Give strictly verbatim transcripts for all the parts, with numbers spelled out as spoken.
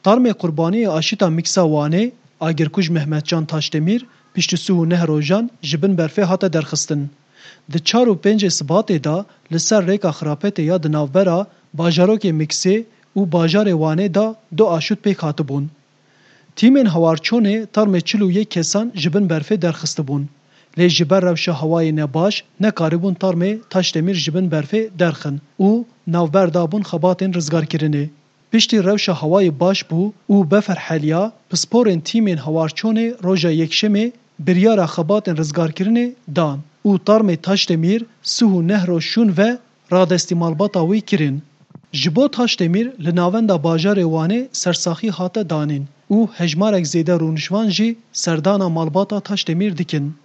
Tarmê qurbaniyê aşîta Mîksa Wanê, agirkuj Mehmetcan Taşdemîr, piştî sih û neh rojan ji bin berfê hate derxistin. Di çar û pêncê Sibatê de li ser rêka Xirapetê ya di navbera bajarokê Mîksê û bajarê Wanê de du aşût pêk hatibûn. Tîmên hewarçonê tarmê çil û yek kesan ji bin berfê derxistibûn. Lê ji ber rewşa hewayê nebaş nekaribûn tarmê Taşdemîr ji bin berfê derxin û navber dabûn xebatên rizgarkirinê. Piştî rewşa hewayê baş bû û befer heliya, pisporên tîmên hewarçonê roja Yekşemê biryara xebatên rizgarkirinê dan û tarmê Taşdemîr sih û neh roj şûn ve radestî malbata wî kirin. Ji bo Taşdemîr li navenda bajarê Wanê sersaxî hate danîn û hejmarek zêde rûnişvan jî serdana malbata Taşdemîr dikin.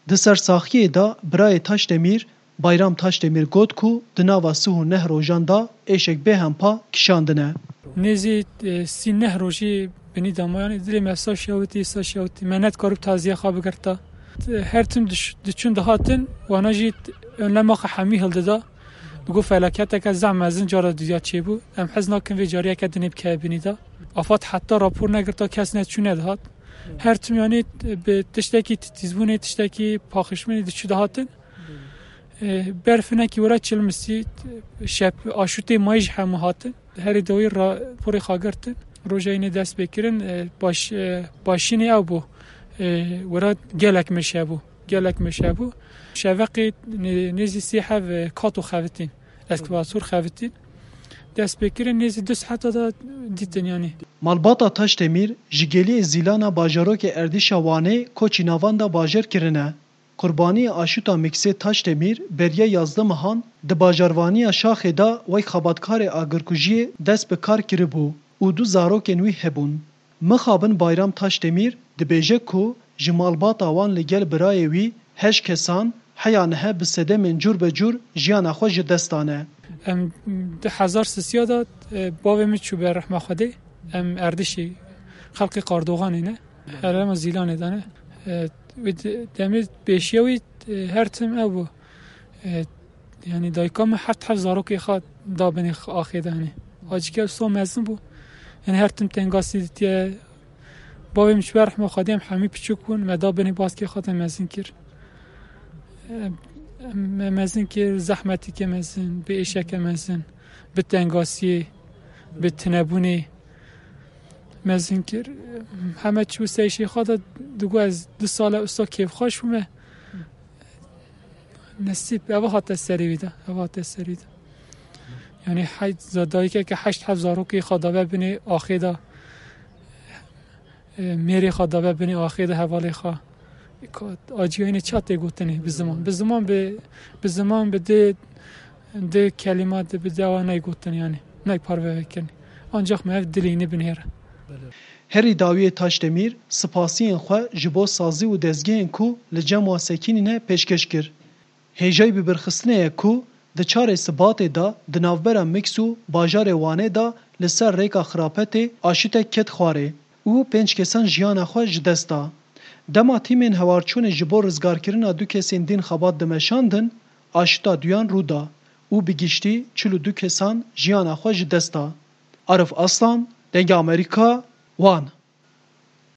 Di sersaxiyê de birayê Taşdemîr, Bayram Taşdemîr got ku di nava sih û neh rojan de êşek bêhempa kişandine. Nêzî, e, sî neh rojî binî dama, yanî dilê me sa şewitî, sa şewitî. Me nedikarib taziya xwe bigirta. Her tim diş-, diçûn dihatin, wana jî önlema xwe hemî hildida. Digot felaketeke zehf mezin cara duya çêbû. Em hez nakin vê cariyeke dinê bikeve binî de. Afad heta rapor negirta kes neçû nedihat. Her tim yanî bi tiştekî titîzbûnê, tiştekî paxişbûnê diçû dihatin. E, berfinekî were çilmisî, şep, aşûtê mayî ji hemû hatin. Herî dawî ra-, porê xwe girtin. Roja înê dest pê kirin, e, baş-, e, başînê ew bû. E, were gelek meşe bû. Gelek meşe bû. Şeveqê nê-, nêzî sê heb, e, kato xevitîn. Eskavator xevitîn. Dest pê kirin nêzî du saeta de dîtin yanî. Malbata Taşdemîr ji geliyê Zîlana bajarokê Erdîşa Wanê koçî navenda bajar kirine. Qurbaniyê aşûta Mîksê Taşdemîr beriya yazdeh mehan di bajarvaniya Şaxê de wek xebatkarê agirkujiyê dest bi kar kiribû û du zarokên wî hebûn. Mixabin Bayram Taşdemîr dibêje ku ji malbata wan li gel birayê wî heşt kesan heya niha bi sedemên cûr be cûr jiyana xwe ji dest dane. Em di hezar sisiya de, e, bavê min çû be rehma Xwedê. Em Erdişî xelkê Qardoxanê ne. Herêma Zîlanê de ne. E, wê de-, demê pêşiya wî, e, her tim ew bû. E, yanî dayika min heft heft zarokê xwe da binê axê de, yanî. Acîke wisa mezin bû. Yanî her tim tengasî ditiye. Bavê min çû be rehma Xwedê, em hemî piçûk bûn, me da binê baskê xwe de mezin kir. E, me mezin kir, zehmetîke mezin, bi êşeke mezin, bi tengasiyê, bi tinebûnê mezin kir. Heme çû ser îşê xwe de digot, ez du sal e wisa kêfxweş bûme. Nesîb, eva hate serê wî de, eva hate serê wî de. Yanî hey-, za-, dayikeke heşt heft zarokê xwe dabe binê axê de, e, mêrê xwe dabe binê axê de hevalê xwe. Ka-, aciyayînê ça tê gotinê bi ziman. Bi ziman bi, bi ziman bi dê, dê kelîma de bi dewa ney gotin yanî. Ney parve vekirin. Ancak me ev dilî ne binêre. Herî dawiyê Taşdemîr spasiyên xwe ji bo sazî û dezgehên ku li cem wan sekînîne pêşkêş kir. Hêjayî bibirxistinê ye ku di çarê Sibatê de di navbera Miks û bajarê Wanê de li ser rêka Xirapetê aşûtek ket xwarê û pênc kesan jiyana xwe ji dest da. Dema tîmên hewarçûnê ji bo rizgarkirina du kesên din xebat dimeşandin, aşûta duyan rû da û bi giştî çil û du kesan jiyana xwe ji dest da. Arif Aslan, Dengê Amerîka, Wan.